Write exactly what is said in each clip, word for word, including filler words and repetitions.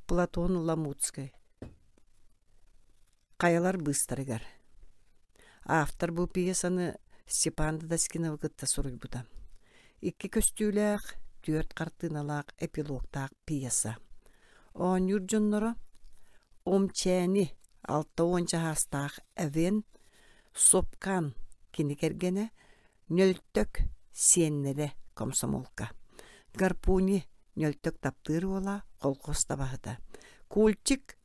Платон Ламутскай. Хайалар быыстарыгар. Автор бу пьесаны Степан Дадаскиновы кытта суруйбута. Икки көстүүлээх, түөрт хартыыналаах эпилогтаах пьеса. Оонньуур дьонноро Омчээни алта уон чаһаастаах Эвен Сопкан кини кэргэнэ Нөлтөк сиэннэрэ комсомолка. Гарпуни Нөлтөк таптыыр уола колхоз табаһыта. Кульчик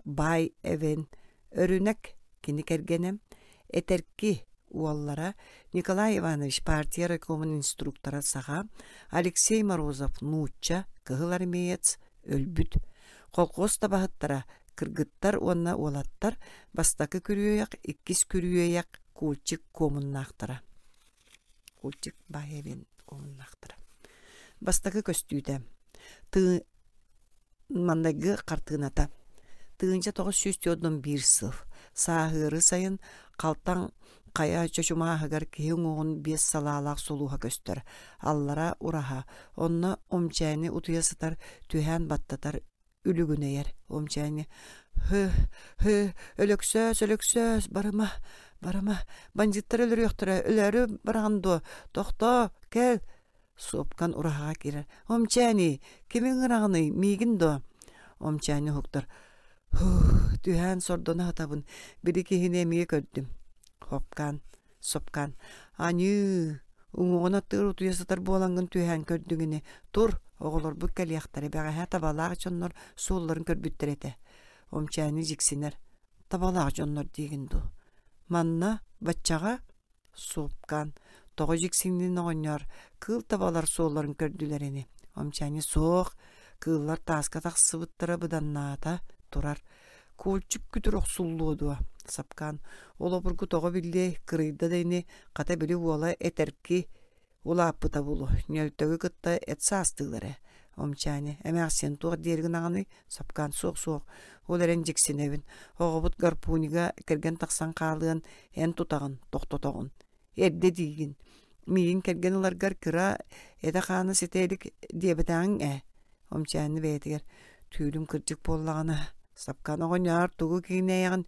Бай Эвен Өрүнэк кини кэргэнэ Этэрки уоллара Николай Иванович партия райкомун инструктора саха, Алексей Морозов нуучча, кыһыл армеец, өлбүт. Колхоз табаһыттара кыргыттар уонна уолаттар бастакы күрүөйэх, иккис күрүөйэх Кульчик куомуннаахтара. Кульчик Бай Эвен куомуннаахтара. Бастакы көстүүтэ. Тыы маннайгы хартыыната. Тыһыынча тоҕус сүүс түөрт биир сыл. Сааһыары сайын Халтаҥ хайа чочумааһыгар киһи уҥуоҕун биэс салаалаах сулуһа көстөр. Аллара ураһа. Онно Омчээни утуйа сытар, түһээн баттатар, үлүгүнэйэр. Омчээни «Һы, һы, Өлөксөөс, Өлөксөөс, барыма, барыма, бандьыыттар өлөрүөхтэрэ, өлөөрү бараҕын дуо? Тохтоо, кэл!» Суопкан ураһаҕа киирэр. «Омчээни, кими ыҥыраҕыный, миигин дуо?» Омчээни уһуктар. «Һуу, түһээн сордоно сытабын, били киһини эмиэ көрдүм». Хопкаан, Сопкаан «Аньыы, уҥуоҕун аттыгар утуйа сытар буолаҥҥын түһээн көрдүҥ ини. Тур, оҕолорбут кэлиэхтэрэ, бэҕэһээ табалаах дьоннор суолларын көрбүттэр этэ». Омчээни дьиксинэр. «Табалаах дьоннор диигин дуу? Манна, баччаҕа?» Суопкаан тоҕо дьиксиннин оҕонньоор, кыыл табалар суолларын көрдүлэр ини. Омчээни суох, кыыллар тааска тахсыбыттара быданнаата турар. Куолчук күтүр охсуллуо дуо? Сапкаан ол обургу тоҕо биллиэй, кырыйда да ини, хата били уола этэрки улааппыта буолуо, Ньөлтөгү кытта эт саастыылар ээ. Омчээни эмээхсиэн туох диэри гынаҕыный? Сапкаан суох-суох, ол эрэн дьиксинэбин. Оҕобут гарпунига кэргэн тахсан хаалыан эн тутаҕын, тохтотоҕун. Эрдэ диигин. Миигин кэргэн ыларгар кыра этэ-хаана ситэ илик диэбэтэҕиҥ ээ. Омчээни бэйэтигэр түүлүм кырдьык буоллаҕына, Сапкаан оҕонньоор тугу киҥнээйэҕин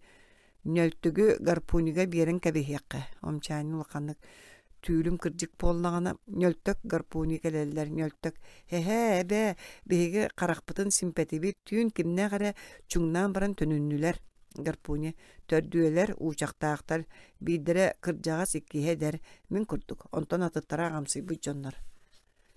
Ньөлтүгү гарпунига биэрэн кэбиһиэххэ. Омчээни улаханнык түүлүм кырдьык буоллаҕына, Ньөлтөк гарпуни кэлэллэр, Ньөлтөк «Эһээ, эбээ, биһиги харахпытын симпэтибит, түүн кимнээх эрэ чуҥнаан баран төнүннүлэр». Гарпуни төрдүөлэр, уучахтаахтар, биирдэрэ кырдьаҕас, иккиһэ эдэр, мин курдук, онтон атыттара аҕамсыйбыт дьоннор.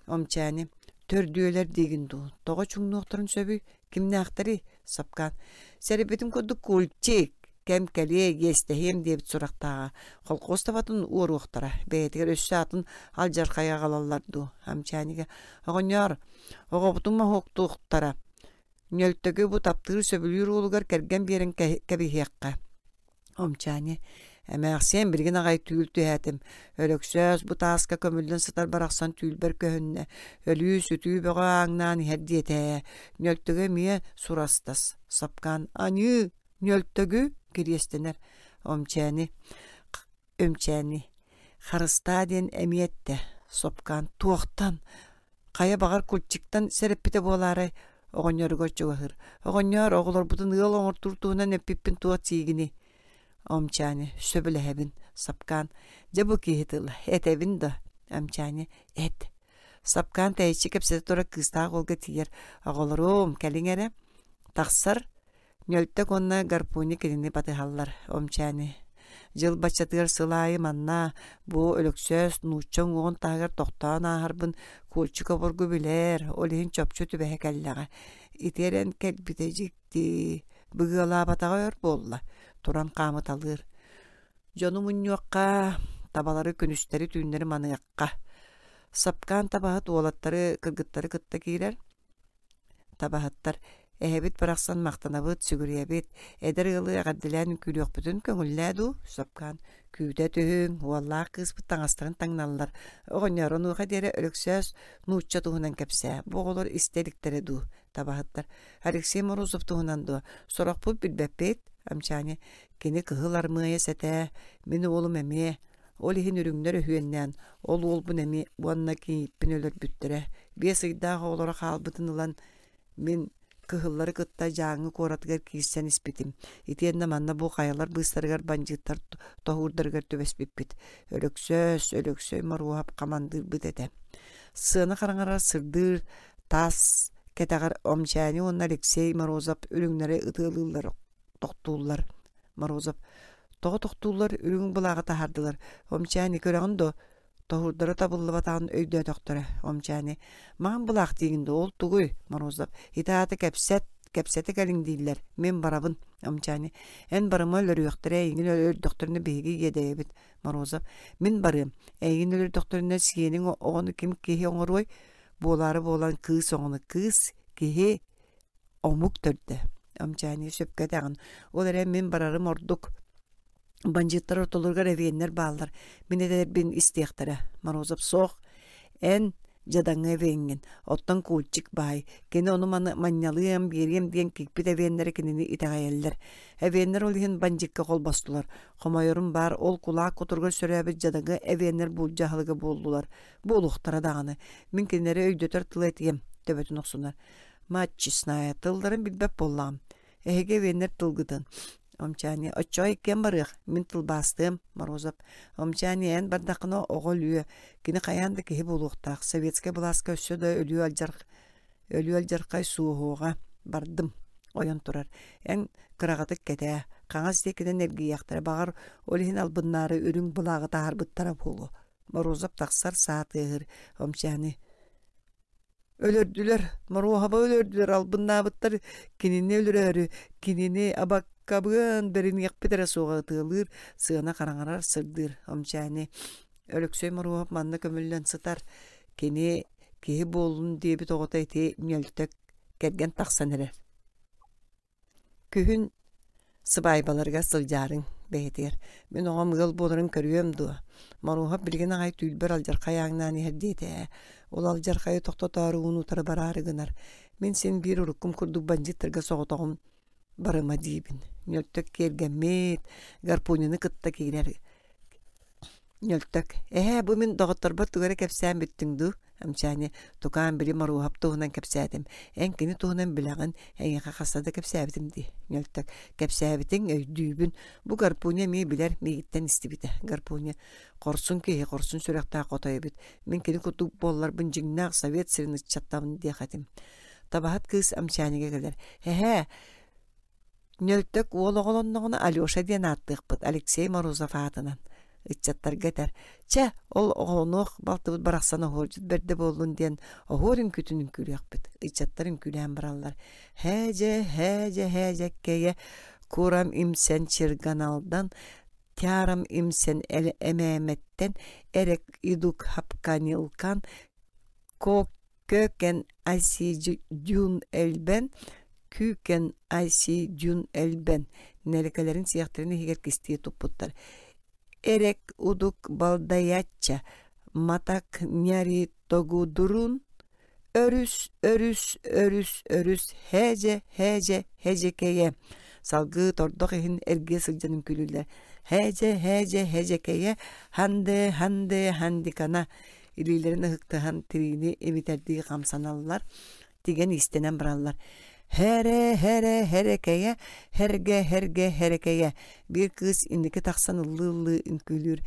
Омчээни төрдүөлэр диигин дуу, тоҕо чуҥнуохтарын сөбүй, кимнээхтэрий? Сапкаан сэрэйбитим курдук кульчик, кэм кэлиэ, иэстэһиэм диэбит сурахтааҕа. Холкуос табатын уоруохтара, бэйэтигэр өссө атын алдьархайы аҕалаллар дуу? Амчаанига оҕонньоор, оҕобутун моһуоктуохтара. Ньөлтөгү бу таптыыр сөбүлүүр уолугар кэргэн биэрэн кэбиһиэххэ. Омчаани эмээхсиэн билигин аҕай түүл түһээтим. Өлөксөөс бу тааска көмүллэн сытар барахсан түүлбэр көһүннэ. Өлүү-сүтүү бөҕө ааҥнаан иһэр диэтэ ээ. Ньөлтөгү эмиэ сурастас. Сапкаан аньыы, Ньөлтөгү кириэстэнэр. Омчээни Өмчээни харыстаа диэн эмиэ эттэ. Сопкаан туохтан? Хайа баҕар кульчиктан сэрэппитэ буолаарай? Оҕонньоругар чугаһыыр. Оҕонньоор, оҕолорбутун ыал оҥортуур туһунан эппиппин туох сиигиний? Омчаани, сөбүлэһэбин. Сапкаан, дьэ бу киһи тыла, этэбин да. Амчаани, эт. Сапкаан тэйиччи кэпсэтэ турар кыыстаах уолга тиийэр. Оҕолорум, кэлиҥ эрэ. Тахсар, Ньөлтөк уонна Гарпуни кинини батыһаллар. Омчээни дьыл баччатыгар сыл аайы манна бу Өлөксөөс нуучча уҥуоҕун таһыгар тохтоон ааһарбын Кульчик обургу билэр, ол иһин чопчу түбэһэ кэллэҕэ. Ити эрэн кэлбитэ дьикти, быгыалаабатаҕа өр буолла, туран хаамыталыыр. Дьону мунньуохха, табалары күнүстэри-түүннэри маныахха. Сапкаан табаһыт уолаттары, кыргыттары кытта киирэр. Табаһыттар эһэбит барахсан махтанабыт, сүгүрүйэбит, эдэр ыалы эҕэрдэлээн үҥкүүлүөхпүтүн көҥүллээ дуу, Сапкаан күүтэ түһүҥ, уоллаах кыыспыт таҥастарын таҥналлар. Оҕонньоор, онуоха диэри Өлөксөөс нуучча туһунан кэпсээ, бу оҕолор истэ иликтэрэ дуу, табаһыттар. Алексей Морозов туһунан дуо, сорохпут билбэппит, Амчани, кини кыһыл армыайа сэтээ, мин уолум эмиэ, ол иһин үрүҥнэр өһүөннээн, ол уолбун эмиэ уонна кийииппин өлөрбүттэрэ. Биэс ыйдаах оҕолоро хаалбытын ылан, мин Кыһыллары кытта Дьааҥы куоратыгар киирсэн испитим. Итиэннэ манна бу хайалар быыстарыгар бандьыыттар тоһуурдарыгар түбэспиппит. Өлөксөөс, Өлөксөй Моруоһап хамандыырбыт этэ. Сыана хараҥарар сырдыыр таас кэтэҕэр Омчээни уонна Алексей Морозов үрүҥнэри ытыалыыллар, тохтууллар. Морозов тоҕо тохтууллар үрүҥ былааҕы таһаардылар. Омчээни көрөҕүн дуо? Тоһуурдара табыллыбатаҕын өйдөөтөхтөрө. Омчээни маҥан былаах диигин дуо? Ол тугуй? Морозов ити аата кэпсэт, кэпсэтэ кэлиҥ дииллэр. Мин барабын. Омчээни эн барыма өлөрүөхтэрэ, эйигин өлөрдөхтөрүнэ биһиги иэдэйэбит. Морозов мин барыам. Эйигин өлөрдөхтөрүнэ сиэниҥ оҕону ким киһи оҥоруой? Буолаары буолан кыыс оҕону кыыс, киһи, омук төрдө. Омчээни сөпкө этэҕин. Ол эрэн мин барарым ордук. Бандьыыттар ортолоругар эвиэннэр бааллар. Мин этэрбин истиэхтэрэ. Морозов суох. Эн дьадаҥы эвиэҥҥин. Оттон Кульчик баай. Кини ону-маны манньалыам, биэриэм диэн кикпит эвиэннэрэ кинини итэҕэйэллэр. Эвиэннэр ол иһин бандьыыкка холбостулар. Хомойорум баар, ол кулаак кутуругар сөрөөбүт дьадаҥы эвиэннэр буулдьа аһылыга буоллулар. Буолуохтара даҕаны. Мин кинилэри өйдөтөр тылы этиэм, төбөтүн охсунар. Мать честная, тылларын билбэт буоллаҕым. Эһиги эвиэннэр тылгытын. Омчаани, оччоҕо иккиэн барыах, мин тылбаастыам, Морозов. Омчаани, эн бардаххына оҕо өлүө, кини хайаан да киһи буолуохтаах, советскай былааска өссө да өлүү алдьар... өлүү алдьархай суоһуоҕа. Бардым. Ойон турар. Эн кыраҕатык кэтээ, хаҥас диэкинэн эргийиэхтэрэ, баҕар, ол иһин албыннаары үрүҥ былааҕы таһаарбыттара буолуо. Морозов тахсар, саа тыаһыыр. Омчаани, өлөрдүлэр, Моруоһаба өлөрдүлэр, албыннаабыттар кинини өлөрөөрү, кинини абаккабыан бэриниэхпит эрэ суоҕа ытыалыыр, сыана хараҥарар, сырдыыр. Омчээни Өлөксөй Моруоһап манна көмүллэн сытар. Кини киһи буоллун диэбит оҕото ити Ньөлтөк кэргэн тахсан эрэр. Күһүн сыбаайбаларыгар сылдьаарыҥ бэйэтигэр. Мин оҕом ыал буоларын көрүөм дуо? Моруоһап билигин аҕай түүлбэр алдьархай ааҥнаан иһэр диэтэ ээ. Ол алдьархайы тохтотоору ууну утары бараары гынар. Мин син биир уруккум курдук бандьыыттарга соҕотоҕун барыма диибин. Ньөлтөк киэргэммит, гарпунины кытта киирэр. Ньөлтөк, эһээ, бу мин доҕотторбор тугу эрэ кэпсээн бүттүҥ дуу? Амчаани, тукаам били Моруоһап туһунан кэпсээтим. Эн кини туһунан билэҕин, эйиэхэ хаста да кэпсээбитим дии. Ньөлтөк, кэпсээбитиҥ, өйдүүбүн. Бу Гарпуня эмиэ билэр, миигиттэн истибитэ. Гарпуня, хорсун киһи, хорсун сүрэхтээх хотой эбит. Мин кини курдук буолларбын дьиҥнээх совет сирин ыччаттабын диэх этим. Табаһыт кыыс Амчаанига кэлэр. Эһээ, Ньөлтөк уол оҕолонноҕуна Алеша диэн ааттыахпыт, Алексей Морозов аатынан. Ыччаттарга этэр: «Чэ, ол оҕолонуох балтыбыт барахсан оһуордьут бэрдэ буоллун диэн оһуор үҥкүүтүн үҥкүүлүөхпүт». Ыччаттар үҥкүүлээн бараллар. Һээдьэ, һээдьэ, һээдьэккэйэ, курам имсэн чирганалдан, тярам имсэн эмээмэттэн, эрек идук хапканилкан, кок Көкэн Айсидюн Элбэн, Күүкэн Айсидюн Элбэн нэлэкэлэрин сиэхтэрин иһигэр кистии туппуттар. Эрек удук балдаячча, матак няри тогудурун, өрүс, өрүс, өрүс, өрүс, һээдьэ, һээдьэ, һэдьэкэйэ. Салгыы тордох иһин эргийэ сылдьан үҥкүүлүүллэр. Һээдьэ, һээдьэ, һэдьэкэйэ, ханде, ханде, хандикана илиилэрин ыһыктыһан тириини имитэрдии хамсаналлар, тигэн иистэнэн бараллар. Хэрэ, хэрэ, хэрэкэйэ, хэргэ, хэргэ, хэрэкэйэ. Биир кыыс инники тахсан ыллыы-ыллыы үҥкүүлүүр.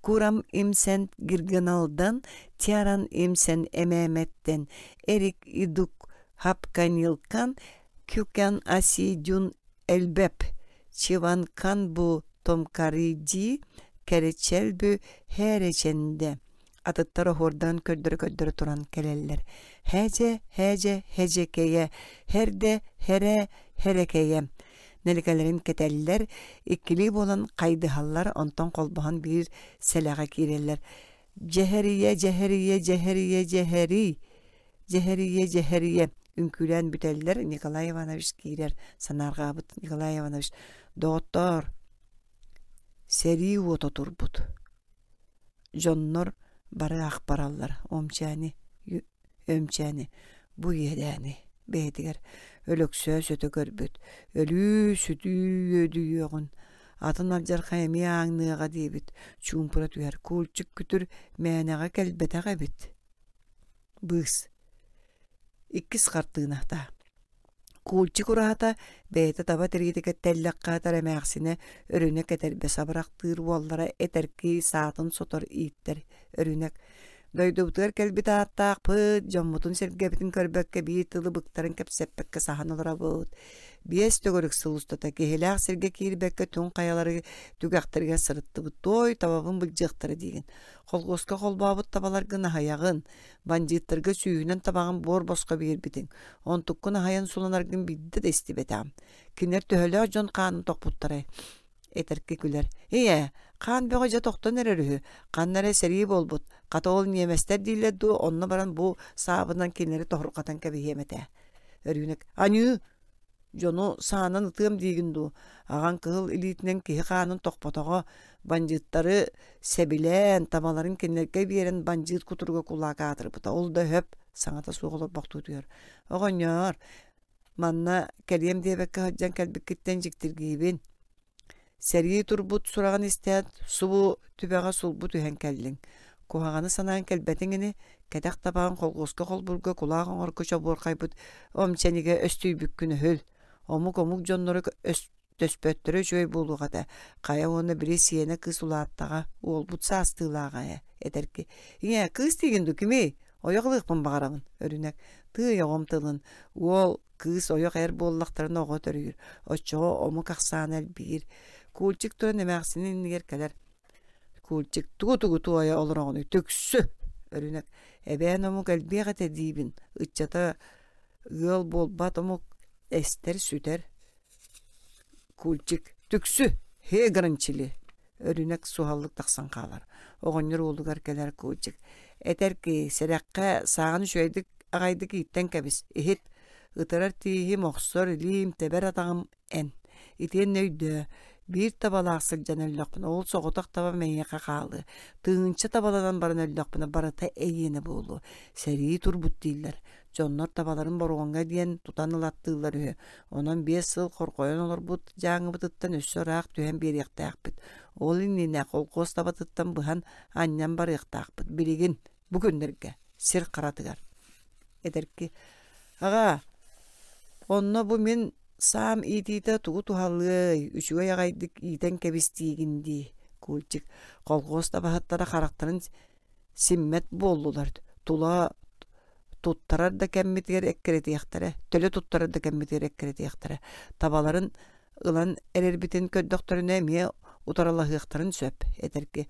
Курам имсэн гиргыналдан, тяран имсэн эмээмэттэн, эрик идук хапканилкан, кюкан асидюн элбэп, чиванкан бу томкариди, кэрэчэлбү хэрэчэндэ атыттар оһуордарын көрдөрө-көрдөрө туран кэлэллэр. Һээдьэ, һээдьэ, һэдьэкэйэ, һэрдэ, һэрэ, һэрэкэйэ. Нэликэлэрин кэтэллэр, иккилии буолан хайдыһаллар, онтон холбоһон биир сэлэҕэ киирэллэр. Дьэһэрийэ, дьэһэрийэ, дьэһэрийэ, дьэһэрий, дьэһэрийэ, дьэһэрийэ. Үҥкүүлээн бүтэллэр, Николай Иванович киирэр, санаарҕаабыт Николай Иванович, доҕоттоор, сэрии уота турбут. Дьоннор бары ах бараллар Омчээни, Өмчээни, бу иэдээни бэйэтигэр Өлөксөөс өтө көрбүт, өлүү-сүтүү үөдүйүөҕүн, атын алдьархай эмиэ ааҥныаҕа диэбит, чуумпура түһэр кульчик күтүр мээнэҕэ кэлбэтэх эбит. Быыс. Иккис хартыыната. Кульчик ураһата бэйэтэ таба тириитэ тэллэххэ сытар эмээхсинэ Өрүнэк этэрбэс абырахтыыр уоллара этэркии саатын сотор ииттэр Өрүнэк дойдубутугар кэлбит ааттаахпыт, дьоммутун-сэргэбитин көрбөккө биир тылы быктаран кэпсэппэккэ саһан олоробут. Биэс төгүрүк сыл устата киһилээх сиргэ киирбэккэ түҥ хайалары түгэхтэригэр сырыттыбыт. Туой табабын былдьыахтара диигин. Холхуоска холбообут табаларгын аһыйаҕын, бандьыыттарга сүүһүнэн табаҕын буор босхо биэрбитиҥ. Онтуккун аһайан суланаргын биирдэ да истибэтэҕим. Кинилэр төһөлөөх дьон хаанын тохпуттарай? Этэрки күлэр. Ийээ, хаан бөҕө дьэ тохтон эрэр үһү. Ханна эрэ сэрии буолбут. Хата ол ньиэмэстэр дииллэр дуу, онно баран бу саабынан кинилэри тоһурҕатан кэбиһиэм этэ. Өрүүнэк, аньыы, дьону саанан ытыам диигин дуу? Аҕаҥ кыһыл илиитинэн киһи хаанын тохпотоҕо, бандьыыттары сэбилээн, табаларын кинилэргэ биэрэн бандьыыт кутуруга кулаак аатырбыта. Ол да өһөп, саҥата суох олорбохтуутугар. Оҕонньоор, манна кэлиэм диэбэккэ сылдьан кэлбиккиттэн дьиктиргиибин. Сэрии турбут сураҕын истээт, субу түбэҕэ сулбу түһэн кэллиҥ. Куһаҕаны санаан кэлбэтиҥ ини, кэтэх табаҕын холхуоска холбуурга кулаах оҥорго чобуорхайбыт омчэнигэ өстүйбүккүн өһүл. Омук-омук дьонноро өстөспөттөрө үчүгэй буолуох этэ. Хайа уонна били сиэнэ кыыс улааттаҕа, уолбут саастыылааҕа ээ, этэрки. Ийээ, кыыс диигин дуу, кимий? Ойох ылыахпын баҕарабын, Өрүнэк. Тыый оҕом тылын, уол, кыыс ойох эр буоллахтарына оҕо төрүүр, оччоҕо омук ахсаана элбиир. Кульчик туран эмээхсинин иннигэр кэлэр. Кульчик тугу-тугу туойа олороҕунуй, түксү! Өрүнэк, эбээн омук элбиэх этэ диибин, ыччата ыал буолбат омук эстэр сүтэр. Кульчик, түксү, хе гранчили! Өрүнэк суһаллык тахсан хаалар. Оҕонньор уолугар кэлэр Кульчик. Этэр ки, сэрэххэ сааҕын үчүгэйдик аҕайдык ииттэн кэбис, иһит. Ытырар тииһим, охсор илиим, тэбэр атаҕым эн. Итиэннэ өйдөө, биир табалаах сылдьан өллөхпүнэ, ол соҕотох табам эйиэхэ хаалыа. Тыһыынча табаланан баран өллөхпүнэ, барыта эйиэнэ буолуо. Сэрии турбут дииллэр. Дьоннор табаларын боруоҥҥа диэн тутан ылаттыыллар үһү. Онон биэс сыл хорҕойон олорбут дьааҥыбытыттан өссө ыраах түһэн биэриэхтээхпит. Ол иннинэ холкуос табатыттан быһан анньан барыахтаахпыт. Билигин, бу күннэргэ, сир харатыгар. Эдэрки, аҕаа, онно бу мин саам иитиитэ тугу туһалыай, үчүгэй аҕайдык иитэн кэбис диигин дии, Кульчик. Колхуос табаһыттара харахтарын симмэт буоллулар. Тула туттарар да кэммитигэр эккирэтиэхтэрэ, төлө туттарар да кэммитигэр эккирэтиэхтэрэ. Табаларын ылан эрэрбитин көрдөхтөрүнэ эмиэ утарылаһыахтарын сөп, этэрки.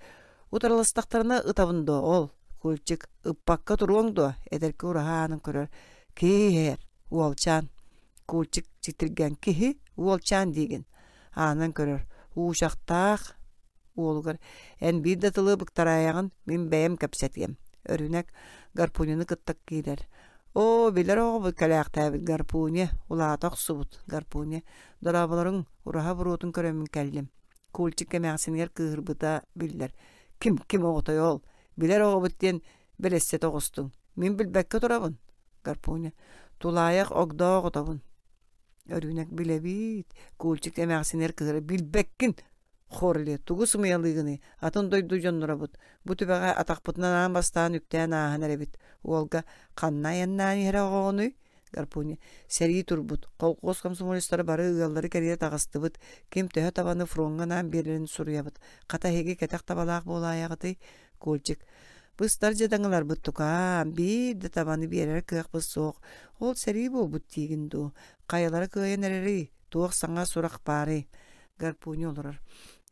Утарыластахтарына ытабын дуо ол? Кульчик, ыппакка туруоҥ дуо? Эдэрки ураһа аанын көрөр. Киһи иһэр, уолчаан. Кульчик читиргэн киһи, уолчаан диигин. Аанан көрөр. Уучахтаах уолугар эн биир да тылы быктараайаҕын, мин бэйэм кэпсэтиэм. Өрүнэк Гарпунины кытта киирэр. Оо, билэр оҕобут кэлээхтээбит Гарпуня, улаата охсубут Гарпуня. Дорооболоруҥ, ураһа буруотун көрөммүн кэллим. Кульчик эмээхсинигэр кыыһырбыта биллэр. Ким, ким оҕотой ол? Билэр оҕобут диэн бэлэссэтэ оҕустуҥ. Мин билбэккэ турабын. Гарпуня. Тулаайах огдоо оҕотобун. Өрүүнэк билэбиит. Кульчик эмээхсинигэр кыыһыра билбэккин. Хорли, тугу сымыйалыыгыный? Атын дойду дьонноробут. Бу түбэҕэ атахпытынан аан бастаан үктээн ааһан эрэбит. Уолга ханна айаннаан иһэрэ оҕоҕунуй? Гарпуня. Сэрии турбут. Колхуос комсомолецтара бары ыаллары кэрийэ таҕыстыбыт. Ким төһө табаны фроҥҥа анаан биэрэрин суруйабыт. Хата эһиги кэтэх табалаах буолаайаҕытый? Кульчик. Быстар дьадаҥыларбыт тукаам, биир да табаны биэрэр кыахпыт суох. Ол сэрии буолбут диигин дуу? Хайалара кыайан эрэрий? Туох саҥа сурах баарый? Гарпуня олорор.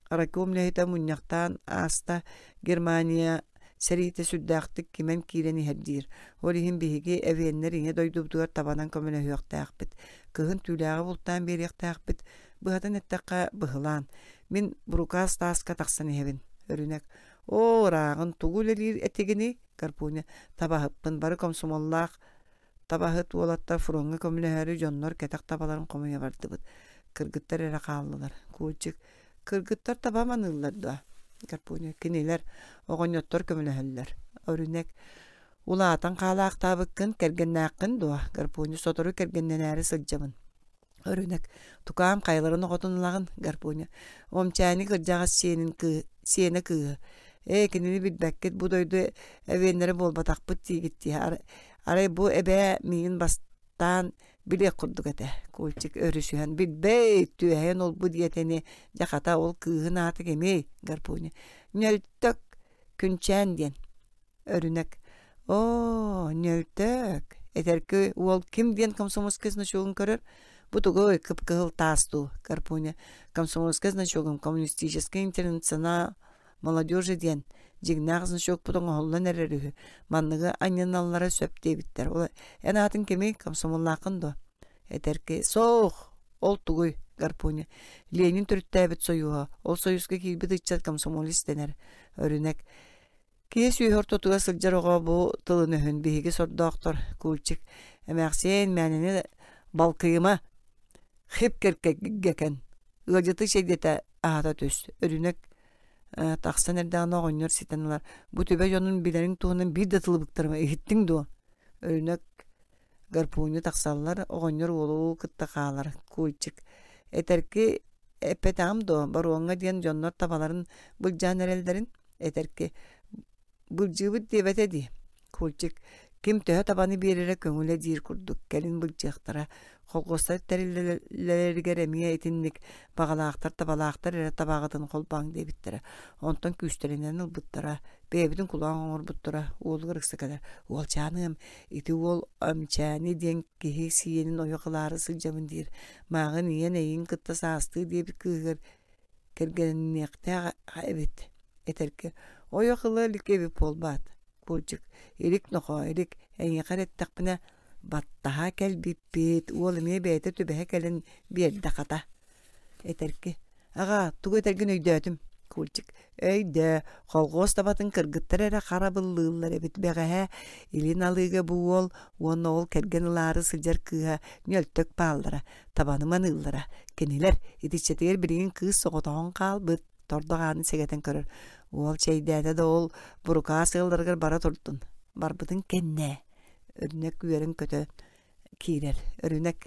Райком үлэһитэ мунньахтаан ааста Германия сэриитэ сүрдээхтик кимэн киирэн иһэр диир. Ол иһин биһиги эвеннэр ийэ дойдубутугар табанан көмөлөһүөхтээхпит. Кыһын түүлээҕи бултаан биэриэхтээхпит. Быһатын эттэххэ, быһылаан. Мин бурукаас тааска тахсан иһэбин. Өрүнэк. Оо, ырааҕын тугу үлэлиир этигиний? Гарпуня. Табаһыппын, бары комсомоллаах табаһыт уолаттар фроҥҥа көмөлөһөөрү дьоннор кэтэх табаларын хомуйа бардыбыт. Кыргыттар эрэ хааллылар. Кульчик. Кыргыттар таба маныыллар дуо? Гарпуня. Кинилэр оҕонньоттор көмөлөһөллөр. Өрүнэк. Улаатан хаалаахтаабыккын, кэргэннээххин дуо? Гарпуня. Сотору кэргэннэнээри сылдьабын. Өрүнэк. Тукаам хайаларын оҕотун ылаҕын? Гарпуня. Омчээни кырдьаҕас сиэнин кыы, сиэнэ кыыһы. Ээ, кинини билбэккит, бу дойду эвеннэрэ буолбатахпыт диигит дии. Арай бу эбээ миигин бастаан Билиэх курдук этэ. Кульчик өрүсүһэн билбэйт, түөһэйэн олбу диэтэни, дьэ хата ол кыыһын аата кимий? Гарпуня. Ньөлтөк Күнчээн диэн. Өрүнэк. Оо, Ньөлтөк. Этэрки уол ким диэн комсомольскай значогун көрөр? Бу тугуй, кып-кыһыл таас дуу? Гарпуня. Комсомольскай значогум коммунистическай интернационал молодежи диэн дьиҥнээх значокпут оҥоһуллан эрэр үһү. Манныгы анньыналлара сөп диэбиттэр. Ол эн аатыҥ кимий? Комсомоллааххын дуо? Этэрки суох, ол тугуй? Гарпуня. Ленин төрүттээбит сойууһа. Ол сойууска киирбит ыччат комсомолец дэнэр. Өрүнэк. Киһи сүөһү ортотугар сылдьар оҕо бу тылын өһүн биһиги сордоохтор Кульчик. Эмээхсиэн мээнэни балкыйыма хип кэркэгэкэн ыалдьыты чэйдэтэ аһата түс. Өрүнэк тахсан эрдэҕинэ оҕонньор ситэн ылар. Бу түбэ дьонун билэриҥ туһунан биир да тылы быктарыма иһиттиҥ дуо? Өрүнэк гарпуунньу тахсаллар, оҕонньор уолу кытта хаалар. Кульчик. Этэрки эппэтэҕим дуо, боруоҥҥа диэн дьоннор табаларын былдьаан эрэллэрин? Этэрки былдьыыбыт диэбэтэ дии. Кульчик ким төһө табаны биэрэрэ көҥүлэ диир курдук кэлин былдьыахтара. Холхуостар тэриллэлэригэр эмиэ итинник баҕалаахтар табалаахтар эрэ табаҕытын холбооҥ диэбиттэрэ. Онтон күүстэринэн ылбыттара. Бэйэбитин кулаан оҥорбуттара. Уолугар ыкса кэлэр. Уолчааныам, ити уол Өмчээни диэн киһи сиэнин ойох ылаары сылдьабын диир. Мааҕын ийэн эйигин кытта саастыы диэбит кыыһыгар кэргэнниэхтээх эбит. Этэргэ ойох ыла илик эбит буолбаат. Кульчик илик нохоо илик эйиэхэ эрэ эттэхпинэ баттаһа кэлбиппит уол эмиэ бэйэтэ түбэһэ кэлэн биэрдэ хата. Этэрки аҕаа тугу этэргин өйдөөтүм. Кульчик өйдөө холхуос табатын кыргыттар эрэ харабыллыыллар эбит бэҕэһээ илин алыыга бу уол уонна ол кэргэн ылаары сылдьар кыыһа ньөлтөк бааллара табаны маныыллара кинилэр итиччэтигэр билигин кыыс соҕотоҕун хаалбыт тордох аанын сэгэтэн көрөр уол чэйдээтэ да ол бурукаас ыалларыгар бара турдун барбытын кэннэ өрүнэк үөрэн көтө киирэр өрүнэк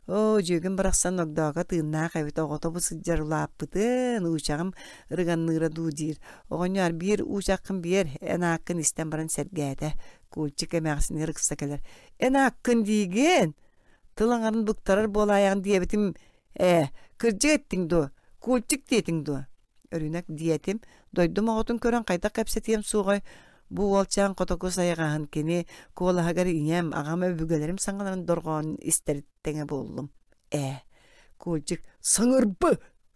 оо дьүөгүм барахсан огдооко тыыннаах эбит оҕото бу сылдьар улааппытын уучаҕым ырыганныыра дуу диир оҕонньоор биир уучаххын биэр эн ааккын истэн баран сэргээтэ Кульчик эмээхсинигэр ыкса кэлэр эн ааккын диигин тыл аҥарын быктарар буолаайаҕын диэбитим ээ кырдьык эттиҥ дуо Кульчик диэтиҥ дуо Өрүнэк диэтим дойдум оҕотун көрөн хайдах кэпсэтиэм суоҕай бу уолчаан котоку сайҕаһын кини куолаһыгар ийэм аҕам өбүгэлэрим саҥаларын дорҕоонун истэр тэҥэ буоллум ээ Кульчик саҥырбы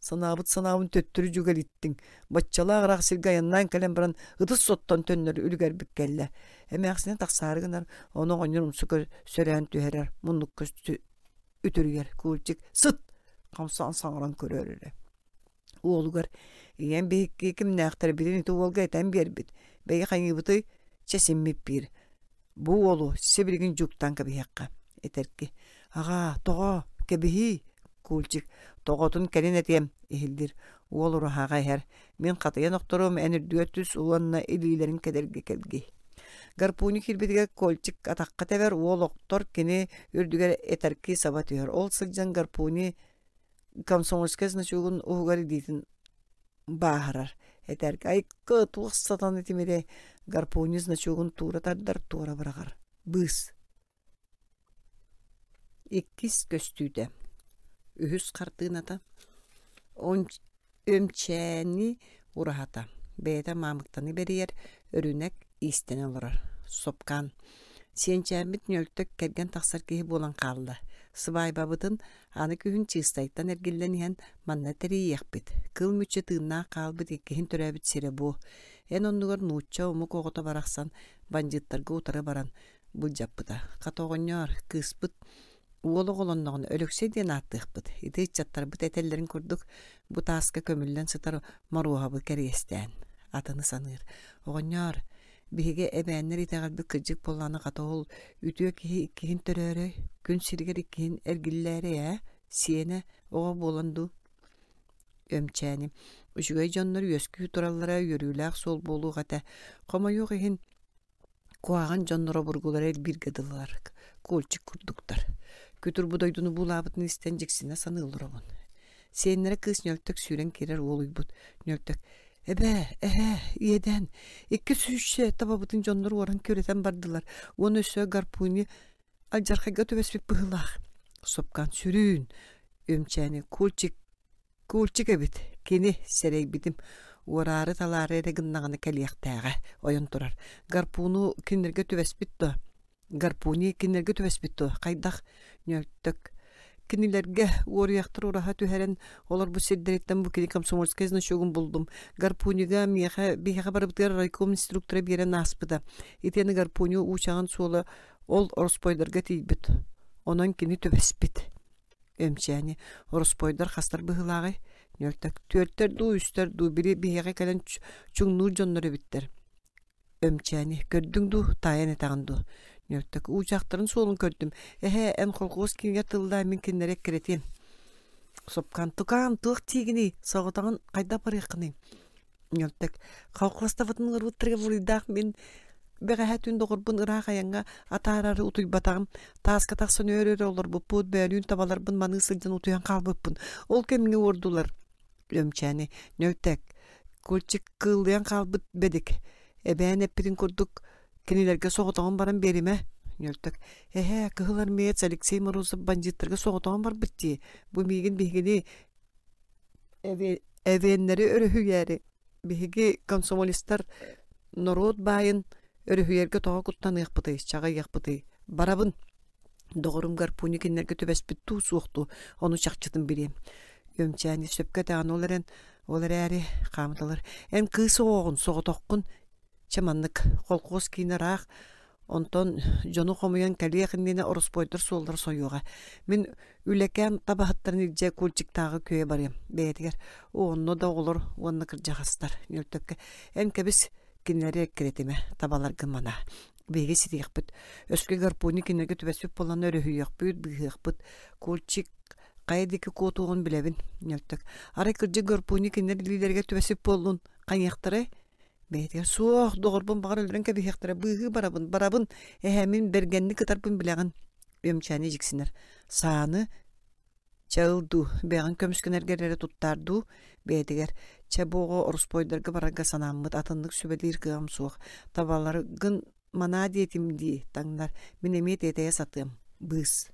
санаабыт санаабын төттөрү дьүгэлиттиҥ баччалаах ыраах сиргэ айаннаан кэлэн баран ытыс соттон төннөр үлүгэрбит кэллэ эмээхсинэ тахсаары гынар ону оҕонньор умсу сөрөөн түһэрэр муннукка үтүрүйэр Кульчик сыт хамсаан саҥаран көрөр эрэ уолугар ийэм биһикки кимнээхтэрбитин ити уолга этэн биэрбит бэйи хайыыбытый чэ симмит биир бу уолу сибилигин дьуктаан кэбиһиэххэ этэрки аҕаа тоҕо кэбиһиий Кульчик тоҕотун кэлин этиэм иһиллир уол ураһаҕа иһэр мин хатыйан охторуом эн үрдүгэр түс уонна илиилэрин кэдэрги кэлгий Гарпуни киирбитигэр Кольчик атахха тэбэр уол охтор кини үрдүгэр этэрки саба түһэр ол сылдьан Гарпуни комсомольскай значогун уһугар илиитин бааһырар этэргэ айкы туох сатан итимирэ гарпуни значогун туура тардар туора быраҕар быыс иккис көстүүтэ үһүс хартыыната өмчээни ураһата бэйэтэ маамыктаны бэрийэр өрүнэк иистэнэ олорор сопкаан сиэнчээммит ньөлтөк кэргэн тахсар киһи буолан хаалла сыбаайбабытын аны күһүн Чыыстайтан эргиллэн иһэн манна тэрийиэхпит кыл мүччү тыыннаах хаалбыт иккиһин төрөөбүт сирэ бу эн оннугар нуучча омук оҕото барахсан бандьыыттарга утары баран былдьаппыта хата оҕонньоор кыыспыт уол оҕолонноҕуна Өлөксөй диэн ааттыахпыт ити ыччаттарбыт этэллэрин курдук бу тааска көмүллэн сытар Моруоһабы кэриэстээн атыны саныыр оҕонньоор биһиги эбээннэр итэҕэлбит кырдьык буоллаҕына хата ол үтүө киһи иккиһин төрөөрөй күн сиригэр иккиһин эргиллээрэй ээ сиэнэ оҕо буолан дуу өмчээни үчүгэй дьоннор үөскүү тураллара үөрүүлээх суол буолуох этэ хомойуох иһин куһаҕан дьоннор обургулара элбииргэ дылылар Кульчик курдуктар күтүр бу дойдуну буулаабытын истэн дьиксинэ саныы олоробун сиэннэрэ кыыс ньөлтөк сүүрэн киирэр уолуйбут ньөлтөк эбээ эһээ иэдээн икки сүүсчэ табабытын дьоннор уоран күрэтэн бардылар уонна өссө гарпуни Алдьархайга түбэспит быһыылаах. Сопкан сүрүүн, Өмчээни Кульчик Кульчик эбит. Кини сэрэйбитим. Уораары-талаары эрэ гыннаҕына кэлиэхтээҕэ ойон турар. Гарпуну кинилэргэ түбэспит дуо? Гарпуни кинилэргэ түбэспит дуо? Хайдах? Ньөлтөк. Кинилэргэ уоруйахтар ураһа түһэрэн олорбут сирдэриттэн бу кини комсомольскай значогун буллум. Гарпунига миэхэ биһиэхэ барыбытыгар райком инструктора биэрэн ааспыта. Итиэннэ гарпуни уучаҕын суола ол ороспуойдарга тиийбит. Онон кини түбэспит. Эмчээни ороспуойдар хастар быһыылааҕый? Ньөлтөк түөртэр дуу, үстэр дуу, били биһиэхэ кэлэн чуҥнуур дьоннор эбиттэр. Өмчээни көрдүҥ дуу, таайан этэҕин дуу? Ньөлтөк уучахтарын суолун көрдүм. Эһээ, эн колхуос киинигэр тыллаа, мин кинилэри эккирэтиэм. Сопкан тукаам, туох тиигиний, соҕотоҕун хайдах барыаххыный? Ньөлтөк колхуостабытын ыҥырбыттарыгар буруйдаах мин бэҕэһээ түүн доҕорбун ыраах айаҥҥа атаарары утуйбатаҕым. Тааска тахсан өөр-өр олорбуппут, бөөлүүн табаларбын маныы сылдьан утуйан хаалбыппын. Ол кэмҥэ уордулар. Өмчээни Ньөлтөк Кульчик кыыллыйан хаалбыт бэдик. Эбээн эппитин курдук кинилэргэ соҕотоҕун баран биэримэ. Ньөлтөк Эһээ, кыһыл армеец Алексей Морозов бандьыыттарга соҕотоҕун барбыт дии. Бу миигин биһигини эвеннэри өрүһүйээри биһиги комсомолистар норуот баайын өрүһүйэргэ тоҕо куттаныахпытый, чаҕыйыахпытый? Барабын. Доҕорум гарпуни кинилэргэ түбэспит дуу, суох дуу, ону чахчытын билиэм. Өмчээни сөпкө этэҕин ол эрэн, ол эрээри хаамыталар. Эн кыыс оҕоҕун, соҕотоххун. Чэ маннык, колхуос киинэ ыраах, онтон дьону хомуйан кэлиэх иннинэ ороспуойдар суоллара сойуоҕа. Мин үлэкээн табаһыттарын илдьэ Кульчиктааҕы күөйэ барыам бэйэтигэр. Онно да оҕолор уонна кырдьаҕастар. Ньөлтөккө эн кэбис кинилэри эккирэтимэ, табаларгын манаа. Биһиги ситиэхпит. Өскө гарпуни кинилэргэ түбэспит буолан өрүһүйүөхпүт, быыһыахпыт. Кульчик хайа диэки куотуоҕун билэбин. Ньөлтөк. Арай кырдьык гарпуни кинилэр илиилэригэр түбэспит буоллун, хайыахтарай? Бэйэтигэр суох, доҕорбун баҕар өлөрөн кэбиһиэхтэрэ, быыһыы барабын, барабын, эһээ мин бэргэнник ытарбын билэҕин. Үөмчээни дьиксинэр. Сааны чэ ыл дуу, бэйэҕин көмүскэнэргэр эрэ туттаар дуу, бэйэтигэр чэ бу оҕо ороспуойдарга барарга санааммыт, атыннык сүбэлиир кыаҕым суох. Табаларгын манаа диэтим дии, таҥнар, мин эмиэ тиэтэйэ сатыам. Быыс.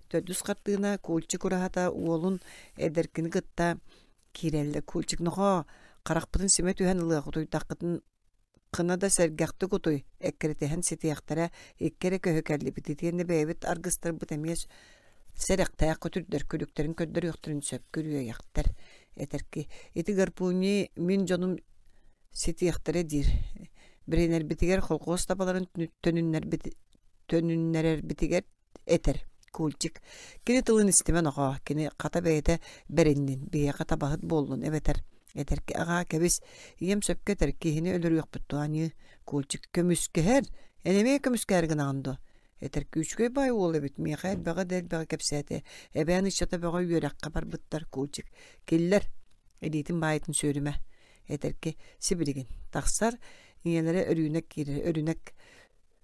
Төрдүс хартыына Кульчик ураһата уолун эдэркини кытта киирэллэр. Кульчик нохоо, харахпытын симэ түһэн ылыах, утуйдаххытын кына да сэргэхтик утуй, эккирэтиһэн ситиэхтэрэ, икки эрэ көһү кэллибит, итиэннэ бэйэбит аргыстарбыт эмиэ сэрэхтээх көтүрдэр, күлүктэрин көрдөрүөхтэрин сөп, күрүөйэхтэр. Этэрки, ити гарпуни мин дьонум ситиэхтэрэ диир. Биринэрбитигэр колхуос табаларын төнүннэрбит төнүннэрэрбитигэр этэр. Кульчик. Кини тылын истимэ нохоо, кини хата бэйэтэ бэриннин, биһиэхэ табаһыт буоллун эбэтэр этэрки аҕаа кэбис, ийэм сөпкө этэр, киһини өлөрүөхпүт дуо аньыы. Кульчик көмүскэһэр, эн эмиэ көмүскэһэр гынаҕын дуо? Этэр күүчүкэй баай уол эбит, миэхэ элбэҕи да элбэҕи кэпсээтэ. Эбээн ыччата бөҕө үөрэххэ барбыттар, Кульчик. Киллэр, илиитин баайытын сүөрүмэ. Этэрки сибилигин тахсар, ийэлэрэ Өрүүнэк киирэр, Өрүнэк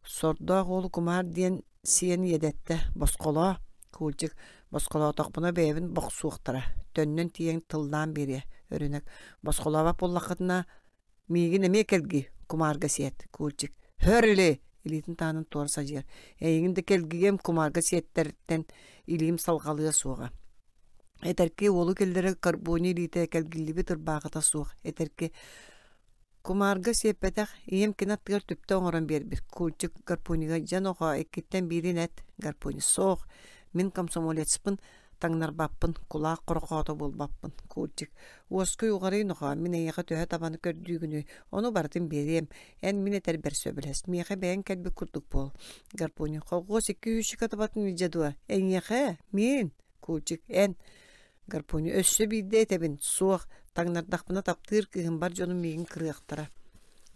сордоох уолу кумаар диэн сиэн иэдэттэ, босхолоо. Кульчик босхолоотохпуна бэйэбин бохсуохтара, төннөн тиийэн тыллаан биэриэ. Өрүнэк босхолообот буоллаххытына миигин эмиэ кэлгий, кумаарга сиэт. Кульчик хөр или илиитин таанын туора садьыйар. Эйигин да кэлгигэм кумаарга сиэттэртэн илиим салҕалыа суоҕа. Этэрки уолу киллэрэ карбони илиитэ кэлгиллибит ырбаахыта суох. Этэрки кумаарга сиэппэтэх, ийэм кини аттыгар түптэ оҥорон биэрбит. Кульчик гарпунига дьэн оҕо иккиттэн биирин эт. Гарпуни суох. Мин комсомолецпын, таҥнарбаппын, кулаах хорохоото буолбаппын. Кульчик уоскуй уҕарый нохоо, мин эйиэхэ төһө табаны көрдүүгүнүй, ону барытын биэриэм. Эн мин этэрбэр сөбүлэс, миэхэ бэйэҥ кэлбит курдук буол. Гарпуни колхуос икки үүсүкэ табатын илдьэ дуо? Эйиэхэ? Мин? Кульчик эн. Гарпуни өссө биирдэ этэбин, суох, таҥнардахпына таптыыр кыыһым бар дьонум миигин кырыахтара.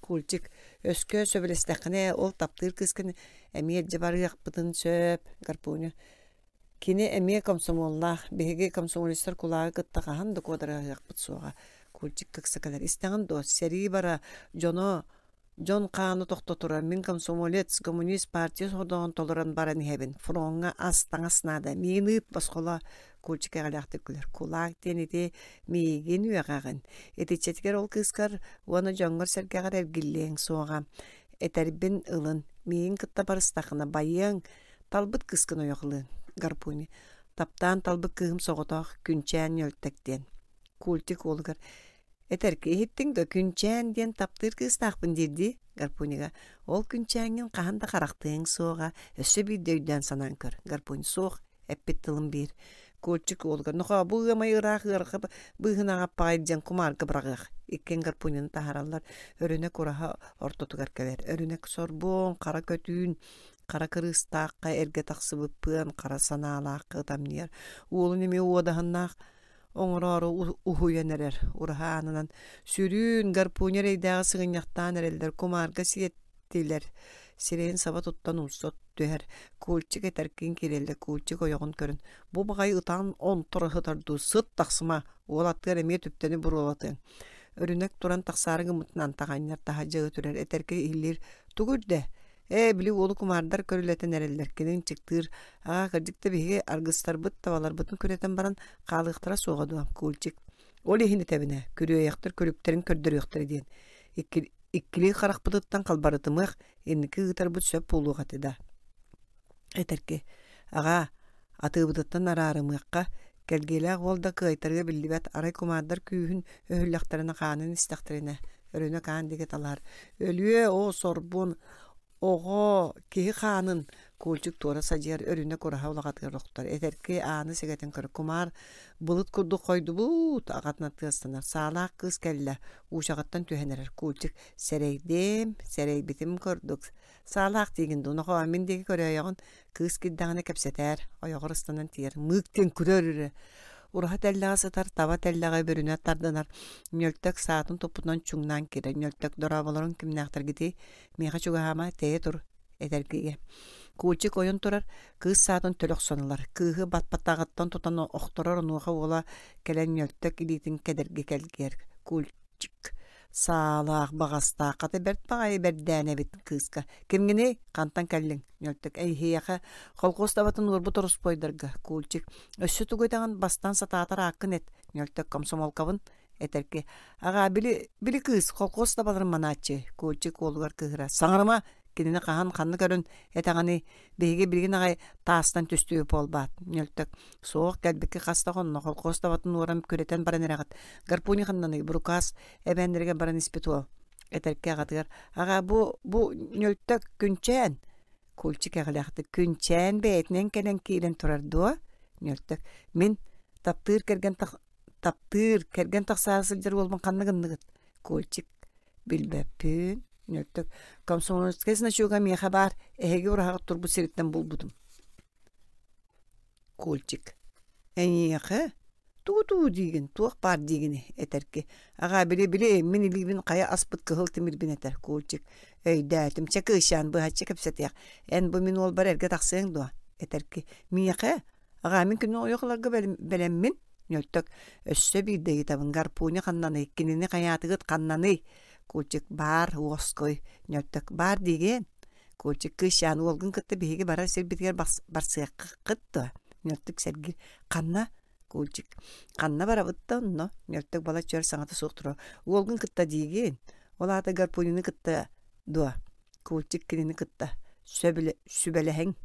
Кульчик өскө сөбүлэстэххинэ ол таптыыр кыыскын эмиэ илдьэ барыахпытын сөп. Гарпуни кини эмиэ комсомоллаах, биһиги комсомолецтар кулааҕы кытта хаһан да куодарыһыахпыт суоҕа. Кульчик ыкса кэлэр. Истэҕин дуо, сэрии бара, дьоно дьон хааны тохтотура, мин комсомолец, коммунист партия сордоҕун толорон баран иһэбин. Фроҥҥа ас, таҥас наада. Миигин ыыт, босхолоо. Кульчик эҕэлээхтик күлэр. Кулаак диэн ити миигин үөҕэҕин. Итиччэтигэр ол кыыскар уонна дьоҥҥор-сэргэҕэр эргиллиэҥ суоҕа. Этэрбин ылын. Миигин кытта барыстаххына байыаҥ, Талбыт кыыскын ойох ылыаҥ. Гарпуни. Таптаан талбыт кыыһым соҕотох Күнчээн Ньөлтэк диэн. Культик уолугар Этэрки иһиттиҥ да Күнчээн диэн таптыыр кыыстаахпын диир дии Гарпунига. Ол Күнчээҥҥин хаһан да харахтыаҥ суоҕа, өссө биирдэ өйдөөн санаан көр. Гарпуни суох, эппит тылым биир. Кольчик уолугар нохоо бу ыамай ыраах ыарха быыһынаҕа аппаҕай диэн кумаарга быраҕыах. Иккиэн гарпунины таһаараллар. Өрүнэ кураһа ортотугар кэлэр. Өрүнэ сорбуон, хара көтүүн, хара кырыыстаахха эргэ тахсыбыппыан, хара санаалаахха ытамньыйар. Уолун эмиэ уодаһыннаах оҥороору уһуйан эрэр. Ураһа аанынан сүрүүн гарпуня эрэйдээҕи сыгынньахтаан эрэллэр, кумаарга сиэттилэр. Сирэйин саба туттан умса түһэр. Кульчик этэркин киирэллэр, Кульчик ойоҕун көрөн, бу баҕайы ытаан онторо сытар дуу, сыт тахсыма, уол аттыгар эмиэ түптэни буруолатыаҥ. Өрүнэк туран тахсаары гыммытынан таҕанньар таһырдьа ытырар, этэргэ иһиллиир, тугу үрдэ? Ээ, били уолу кумаардар көрүлэтэн эрэллэр, кини ынчыктыыр, аа, кырдьык да биһиги аргыстарбыт табаларбытын күрэтэн баран хаалыахтара суоҕа дуо, Кульчик. Ол иһин этэбинэ, күрүөйэхтэр күлүктэрин көрдөрүөхтэрэ диэн. Икки, иккилии харахпытыттан халбарытымыах, инники ыытарбыт сөп буолуох этэ да. Этэрки, аҕаа, атыыбытыттан араарымыахха, кэлгиэлээх уол да кыайтарыа биллибэт, арай кумаардар күүһүн өһүллэхтэринэ хаанын истэхтэринэ, өрүнэ хаан диэки талаһар. Өлүө, оо, сорбун, оҕо, киһи хаанын Кульчик туора садьыйар өрүнэ кураһа улаҕатыгар охтор. Этэрки ааны сэгэтэн көрөр. Кумаар былыт курдук хойдубут, аҕатына тыастанар. Саалаах кыыс кэллэ, уучаҕыттан түһэн эрэр. Кульчик сэрэйдим, сэрэйбитим курдук. Саалаах диигин дуу, нохоо, мин диэки көрөөйөҕүн. Кыыс киирдэҕинэ кэпсэтээр, ойоҕор ыстанан тиийэр. Мыык диэн күрэр эрэ. Ураһа тэллэҕэ сытар, таба тэллэҕэ бүрүнэ тардынар. Ньөлтөк саатын туппутунан чуҥнаан киирэр. Ньөлтөк дорооболорун кимнээхтэргитий? Миэхэ чугаһаама, тэйэ тур, этэргигэ. Кульчик ойон турар, кыыс саатын төлө охсон ылар. Кыыһы баппатаҕыттан тутан охторор, онуоха уола кэлэн Ньөлтөк илиитин кэдэрги кэлгиэр. Кульчик саалаах баҕастаах хата бэрт баҕайы бэрдээн эбит кыыска. Кимҥиний? Хантан кэллиҥ? Ньөлтөк эйиэхэ колхоз табатын уорбут ороспуойдарга. Кульчик өссө тугу этэҕин бастаан сатаатар ааккын эт. Ньөлтөк комсомолкабын этэрки. Аҕаа били били кыыс колхоз табаларын манааччы. Кульчик уолугар кыыһыра. Саҥарыма кинини хаһан ханна көрөн этэҕиний биһиги билигин аҕай таастан түстүү буолбаат Ньөлтөк суох кэлбиккэ хас да хонно колхоз табатын уоран күрэтэн баран эрэҕит гарпуни ханнаный бурукаас эбээннэригэр баран испит уол этэркэ аҕатыгар аҕаа бу бу Ньөлтөк Күнчээн Кульчик эҕэлээхтик Күнчээн бэйэтинэн кэлэн киирэн турар дуо Ньөлтөк мин таптыыр кэргэн таптыыр кэргэн тахсаары сылдьар уолбун ханна гынныгыт Кульчик билбэппин Ньөлтөк комсомольскай значога миэхэ баар эһиги ураһаҕыт турбут сириттэн булбутум Кульчик эйиэхэ тугу-тугу диигин туох баар диигини этэрки аҕаа били били мин илиибин хайа аспыт кыһыл тимирбин этэр Кульчик өйдөөтүм чэ кыысчаан быһаччы кэпсэтиэх эн бу мин уолбар эргэ тахсыаҥ дуо этэрки миэхэ аҕаа мин күнү ойох ыларга бэлэммин Ньөлтөк өссө биирдэ ыйытабын гарпуня ханнаный кинини хайаатыгыт ханнаный Кульчик баар уоскуй Ньөлтөк баар диигин Кульчик кыысчаан уолгун кытта биһиги барар сирбитигэр барсыаххыт дуо Ньөлтөк сэргиир ханна Кульчик ханна барабыт да онно Ньөлтөк балачча өр саҥата суох турар уолгун кытта диигин ол аата гарпунины кытта дуо Кульчик кинини кытта сүбэлэһиҥ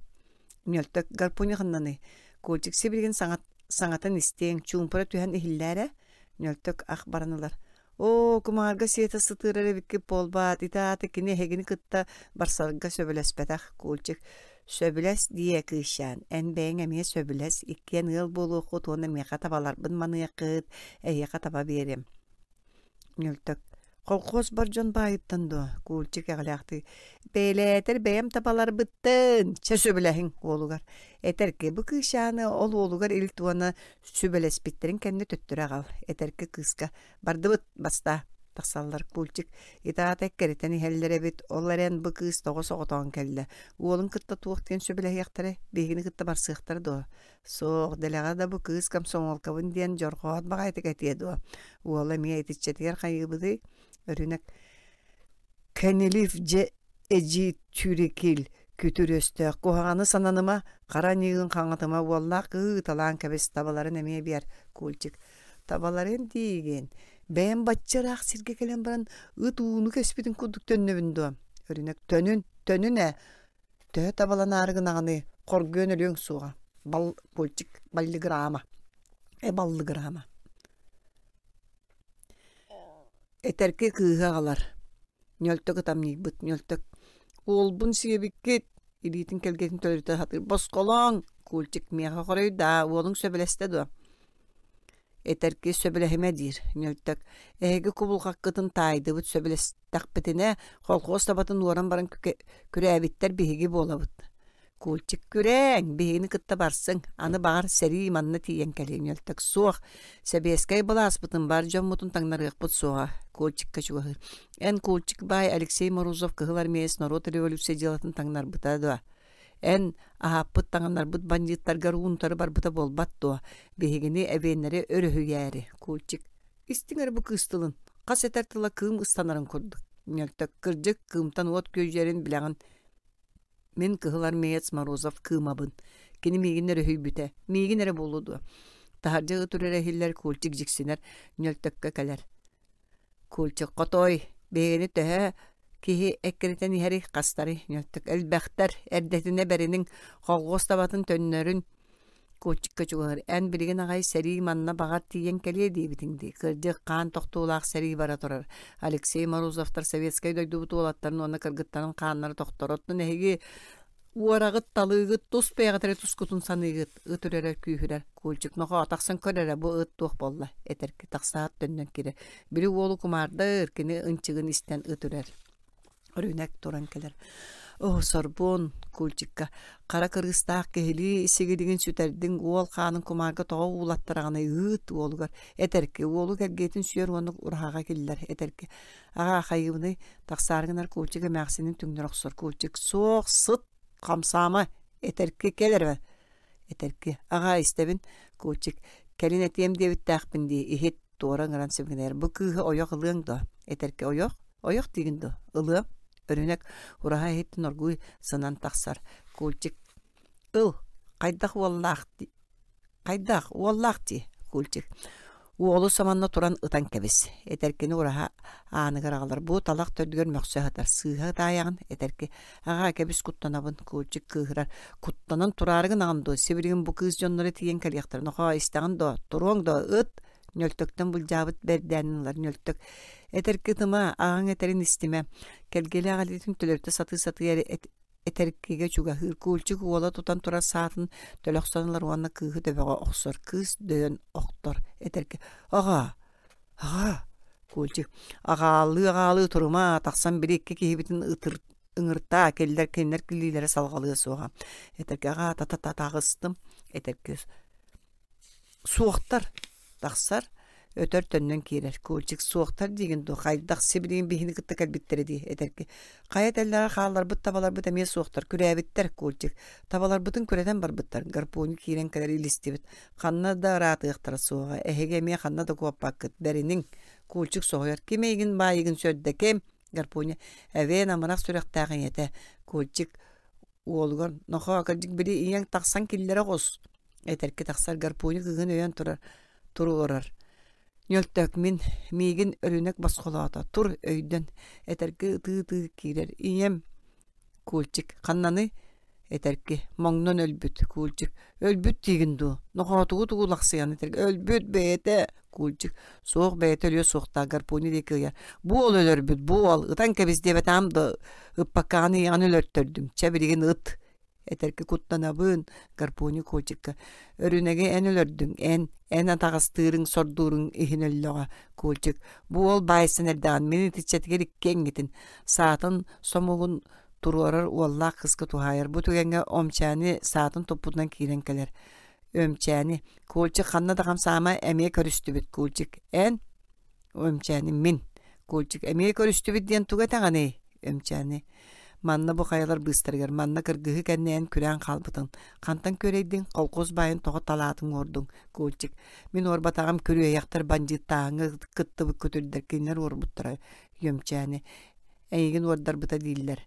Ньөлтөк гарпуня ханнаный Кульчик сибилигин саҥат саҥатын истиэҥ чуумпура түһэн иһиллээрэ Ньөлтөк ах баран ылар оо кумаарга сиэтэ сытыарар эбиккит буолбаат ити аата кини эһигини кытта барсарга сөбүлэспэтэх Кульчик сөбүлэс диэ кыысчаан эн бэйэҥ эмиэ сөбүлэс иккиэн ыал буолуоххут уонна миэхэ табаларбын маныаххыт эһиэхэ таба биэриэм Ньөлтөк колхоз бар дьон баайыттан дуо Кульчик эҕэлээхтик бэйэлээтэр бэйэм табаларбыттын чэ сөбүлэһиҥ уолугар этэрки бу кыысчааны ол уолугар илт уонна сүбэлэспиттэрин кэннэ төттөрү аҕал этэрки кыыска бардыбыт бастаа тахсаллар Кульчик итаата эккирэтэн иһэллэр эбит ол эрэн бу кыыс тоҕо соҕотоон кэллэ уолун кытта туох диэн сөбүлэһиэхтэрэ биһигини кытта барсыахтара дуо суох дэлэҕэ да бу кыыс комсомолкабын диэн дьорҕоот баҕайытык этиэ дуо уола эмиэ итиччэтигэр хайыыбытый өрүнэк кэнилив дьэ эдьиий түүрекил күтүр өстөөх куһаҕаны сананыма хара аньыыгын хаҥатыма уоллаах кыһыы ыталаан кэбис табаларын эмиэ биэр Кульчик табаларын диигин бэйэм бачча ыраах сиргэ кэлэн баран ыт ууну кэспитин курдук төннөбүн дуо өрүнэк төнүн төнүн ээ төһө табаланаары гынаҕыный Хоргуйан өлүөҥ суоҕа. Бал Кульчик баллыгыраама. Э баллыгыраама. Этэрки кыыһы аҕалар. Ньөлтөк ытамньыйбыт. Ньөлтөк уолбун сиэбиккит илиитин кэлгэтин төлөрүтэ сатыыр. Босхолооҥ! Кульчик миэхэ хоруйдаа, уолуҥ сөбүлэстэ дуо? Этэрки сөбүлэһимэ диир. Ньөлтөк эһиги кубулҕаккытын таайдыбыт сөбүлэстэхпитинэ колхоз табатын уоран баран күрээбиттэр биһиги буолабыт. Кульчик күрээҥ, биһигини кытта барсыҥ, аны баҕар сэрии манна тиийэн кэлиэ. Ньөлтөк суох, сэбиэскэй былааспытын бар дьоммутун таҥнарыахпыт суоҕа. Кульчикка чугаһыыр. Эн Кульчик баай Алексей Морозов Кыһыл Армеец норуот революция дьыалатын таҥнарбыта дуо? Эн аһааппыт таҥыннарбыт бандьыыттаргар уунтары барбыта буолбат дуо? Биһигини эбиэннэри өрүһүйээри. Кульчик истиҥ эрэ бу кыыс тылын. Хас этэр тыла кыым ыстанарын курдук. Ньөлтөк кырдьык кыымтан уот күөдьүйэрин билэҕин. Мин Кыһыл Армеец Морозов кыымабын. Кини миигин өрүһүйбүтэ. Миигин эрэ буолуо дуо? Таһырдьа ыт үрэрэ иһиллэр Кульчик дьиксинэр Ньөлтөккө кэлэр. Кульчик хотой, биһигини төһө киһи эккирэтэн иһэрий хастарый Ньөлтөк элбэхтэр эрдэтинэ бэриниҥ колхуос табатын төннөрүн Кульчикка чугаһыыр. Эн билигин аҕай сэрии манна баҕар тиийэн кэлиэ диэбитиҥ дии. Кырдьык хаан тохтуулаах сэрии бара турар. Алексей Морозовтар советскай дойдубут уолаттарын уонна кыргыттарын хааннара тохтор. Оттон эһиги уораҕыт, талыыгыт, тус бэйэҕит эрэ тускутун саныыгыт. Ыт үрэрэ күүһүрэр. Кульчик нохоо тахсан көр эрэ бу ыт туох буолла? Этэрки тахсаат төннөн киирэр. Били уолу кумаардыр, кини ынчыгын истэн ыт үрэр. Өрүнэк туран кэлэр. Оо, сорбуон, Кульчикка хара кырыыстаах киһилии сигилигин сүтэрдиҥ, уол хаанын кумаарга тоҕо уулаттараҕыный ыыт уолугар. Этэрки уолу кэлгиэтин сүөр уонна ураһаҕа киллэр. Этэрки аҕаа хайыыбыный тахсаары гынар Кульчик эмээхсинин түҥнэри охсор. Кульчик суох сыт хамсаама этэрки кэл эрэ. Этэрки аҕаа истэбин. Кульчик кэлин этиэм диэбиттээхпин дии иһит туора ыҥыран сибигинэйэр. Бу кыыһы ойох ылыаҥ дуо? Этэрки ойох? Ойох диигин дуо? Ылыам. Өрүнэк ураһа иһиттэн оргууй сынан тахсар. Кульчик ыл хайдах уоллаах дии хайдах уоллаах дии Кульчик уолу саманна туран ытан кэбис. Этэркини ураһа ааныгар аҕалар. Бу талах төрдүгэр мөхсө сытар. Сыыһа ытаайаҕын этэрки аҕаа кэбис куттанабын. Кульчик кыыһырар. Куттанан тураары гынаҕын дуо? Сибилигин бу кыыс дьонноро тиийэн кэлиэхтэрэ. Нохоо истэҕин дуо? Туруоҥ дуо? Ыт! Ньөлтөктөн былдьаабыт бэрдээнин ылар. Ньөлтөк этэрки ытыма, аҕаҥ этэрин истимэ. Кэлгиэлээх илиитин төлөрүтэ сатыы-сатыы этэркигэ чугаһыыр. Кульчик уола тутан турар саатын төлөхсөн ылар уонна кыыһы төбөҕө охсор. Кыыс дөйөн охтор. Этэрки аҕаа, аҕаа, Кульчик аҕаалыы-аҕаалыы турума, тахсан били икки киһибитин ытыр ыҥыртаа, кинилэр кинилэр килиилэрэ салҕалыа суоҕа. Этэрки аҕаа та-та-та таҕыстым. Этэрки суохтар тахсар өтөр төннөн киирэр. Кульчик суохтар диигин дуо? Хайдах сибилигин биһини кытта кэлбиттэрэ дии этэрки. Хайа тэллэҕэ хаалларбыт табаларбыт эмиэ суохтар, күрээбиттэр Кульчик. Табаларбытын күрэтэн барбыттар. Гарпуну киирэн кэлэр илистибит. Ханна да ыраатыахтара суоҕа. Эһиги эмиэ ханна да куоппаккыт. Бэриниҥ. Кульчик соһуйар. Ким эйигин баайыгын сөрдө ким? Гарпуня эбээн амарах сүрэхтээх ийэтэ. Кульчик уолугар нохоо кырдьык били ийэҥ тахсан киллэрэ оҕус. Этэрки тахсар Гарпуня кыыһын өйөөн турар туруорар. Ньөлтөк мин миигин өрүнэк босхолоото. Тур өйдөн. Этэрки ытыы-ытыы киирэр. Ийэм Кульчик ханнаны этэрки моҥнон өлбүт. Кульчик өлбүт диигин дуо? Нохоотугу тугу лахсыйан этэрки өлбүт бэйэтэ. Кульчик суох бэйэтэ өлүө суохтаах Гарпуни диэки ыйар. Бу уол өлөрбүт, бу уол ытан кэбис диэбэтэҕим да ыппаккаҕын ийэҕин өлөртөрдүм. Чэ билигин ыт. Этэрки куттанабын Гарпуни Кульчикка. Өрүнэги эн өлөрдүҥ, эн, эн атаҕастыырыҥ, сордууруҥ иһин өллөҕө. Кульчик бу уол баайсан эрдэҕин мин итиччэтигэр икки эҥҥитин саатын сомугун туруорар уоллаах кыыска туһаайар. Бу түгэҥҥэ Омчээни саатын туппутунан киирэн кэлэр. Өмчээни Кульчик ханна да хамсаама эмиэ көрүстүбүт. Кульчик эн Өмчээни мин. Кульчик эмиэ көрүстүбүт диэн тугу этэҕиний? Өмчээни манна бу хайалар быыстарыгар манна кыргыһыы кэннэ эн күрээн хаалбытыҥ. Хантан күрэйдиҥ? Колхоз баайын тоҕо талаатыҥ уордуҥ? Кульчик мин уорбатаҕым күрүөйэхтэр бандьыыттааһыҥҥа кыттыбыт көтүрдэр кинилэр уорбуттара. Өмчээни эйигин уордарбыта дииллэр.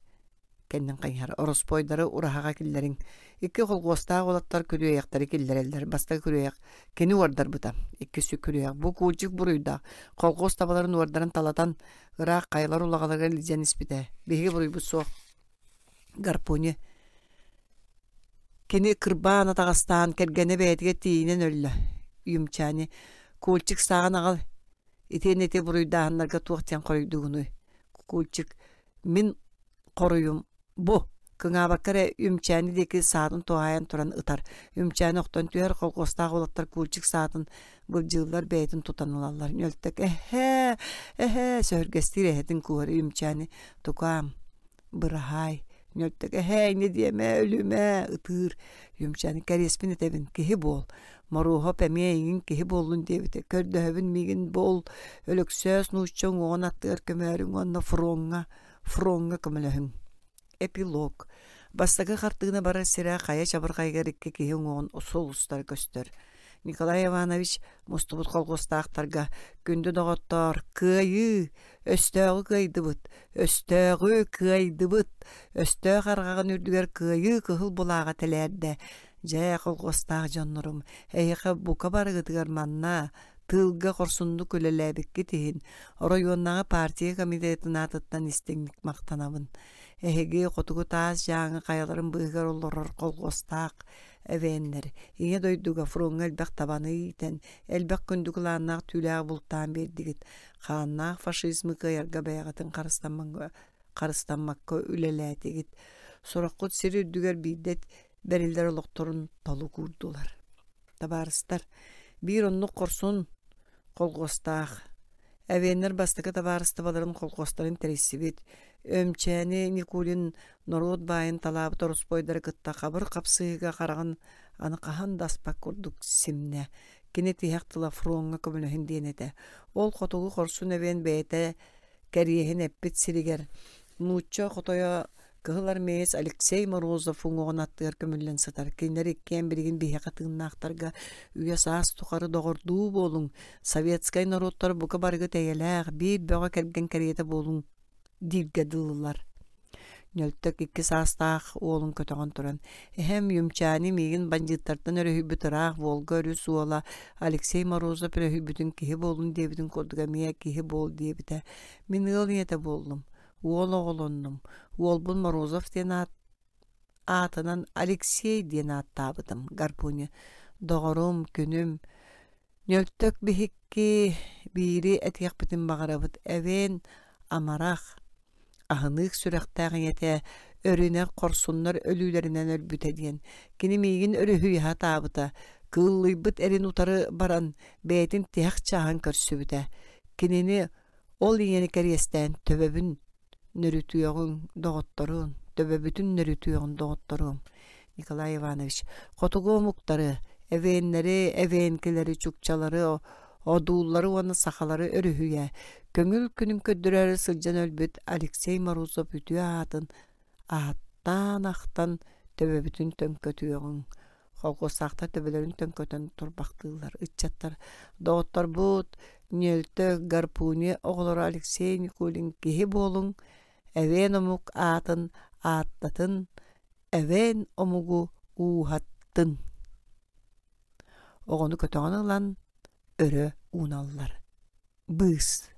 Кэннин хайыһар. Ороспуойдары ураһаҕа киллэриҥ. Икки колхуостаах уолаттар күрүөйэхтэри киллэрэллэр. Бастакы күрүөйэх кини уордарбыта. Иккис күрүөйэх бу Кульчик буруйдаах. Колхоз табаларын уордарын талатан ыраах хайалар улаҕаларыгар илдьэн испитэ. Биһиги буруйбут суох. Гарпуни Кини кырбаан атаҕастаан кэргэнэ бэйэтигэр тиийинэн өллө. Юмчани Кульчик сааҕын аҕал итиэннэ ити буруйдааһыннарга туох диэн хоруйдуугунуй? Кульчик мин хоруйум бу кыҥаабакка эрэ Үмчээни диэки саатын туһаайан туран ытар. Үмчээни охтон түһэр, колхуостаах уолаттар Кульчик саатын былдьыыллар, бэйэтин тутан ылаллар. Ньөлтөк эһээ, эһээ, сөһүргэстиир эһэтин куһар Үмчээни тукаам, быраһаай. Ньөлтөк эһээ, инньэ диэмэ, өлүмэ, ытыыр. Үмчээни кэриэспин этэбин, киһи буол. Моруоһап эмиэ эйигин киһи буоллун диэбитэ. Көрдөһөбүн миигин буол, Өлөксөөс нуучча уҥуоҕун аттыгар көмөөрүҥ уонна фроҥҥа, фроҥҥа көмөлөһүҥ. Эпилог. Бастакы хартыына барар сирэ хайа чабырҕайыгар икки киһи уҥуоҕун сулустара көстөр. Николай Иванович мустубут колхуостаахтарга күндү доҕоттоор, кыайыы! Өстөөҕү кыайдыбыт! Өстөөҕү кыайдыбыт! Өстөөх арҕаҕын үрдүгэр кыайыы кыһыл булааҕа тэлээрдэ. Дьэ, колхуостаах дьоннорум, эһиэхэ бука барыгытыгар манна тыылга хорсуннук үлэлээбиккит иһин оройуоннааҕы партия комитетын аатыттан истиҥник махтанабын. Эһиги хотугу таас дьааҥы хайаларын быыһыгар олорор колхуостаах эвеннэр Ийэ дойдуга фроҥҥа элбэх табаны иитэн, элбэх күндү кылааннаах түүлээҕи бултаан биэрдигит. Хааннаах фашизмы кыайарга бэйэҕитин харыстаммакка үлэлээтигит. Сороххут сир үрдүгэр биирдэ бэриллэр олохторун толук уурдулар. Табаарыстар, биир оннук хорсун колхуостаах Эвеннэр бастакы табаарыстыбаларын колхуостарын тэрийсибит, Өмчээни Никулин норуот баайын талаабыт ороспуойдары кытта хабыр хапсыһыыга хараҕын аны хаһан да аспат курдук симнэ. Кини тиһэх тыла фроҥҥа көмөлөһүн диэн этэ. Ол хотугу хорсун эвен бэйэтэ кэриэһин эппит сиригэр нуучча хотойо кыһыл армеец Алексей Морозов уҥуоҕун аттыгар көмүллэн сытар. Кинилэр иккиэн билигин биһиэхэ тыыннаахтарга үйэ-саас тухары доҕордуу буолуҥ, советскай норуоттар бука барыгыт эйэлээх, биир бөҕө кэргэн кэриэтэ буолуҥ дииргэ дылылар. Ньөлтөк икки саастаах уолун көтөҕөн туран, эһэм Юмчаани миигин бандьыыттартан өрүһүйбүт ыраах Волга өрүс уола Алексей Морозов өрүһүйбүтүн киһи буолун диэбитин курдук эмиэ киһи буол диэбитэ. Мин ыал ийэтэ буоллум, уол оҕолоннум. Уолбун Морозов диэн аат аатынан Алексей диэн ааттаабытым. Гарпуня доҕорум, күнүм, Ньөлтөк биһикки биири этиэхпитин баҕарабыт. Эвен амарах, аһыныык сүрэхтээх ийэтэ өрүнэ хорсуннар өлүүлэринэн өлбүтэ диэн. Кини миигин өрүһүйэ сатаабыта, кыыллыйбыт эрин утары баран бэйэтин тиһэх чааһын көрсүбүтэ. Кинини ол ийэни кэриэстээн төбөбүн нөрүтүөҕүҥ, доҕотторун, төбөбүтүн нөрүтүөҕүн доҕотторуом. Николай Иванович, хотугу омуктары, эвеннэри, эвенкилэри, чукчалары, одууллары уонна сахалары өрүһүйэ, көҥүл күнүн көрдөрөөрү сылдьан өлбүт Алексей Морозов үтүө аатын ааттаан ахтан төбөбүтүн төҥкөтүөҕүҥ. Холкуостаахтар төбөлөрүн төҥкөтөн турбахтыыллар. Ыччаттар, доҕотторбут, Ньөлтө, Гарпуни оҕолоро Алексей Никулин киһи буолуҥ, эвен омук аатын ааттатын, эвен омугу ууһаттын. Оҕону көтөҕөн ылан өрө ууналлар. Быыс.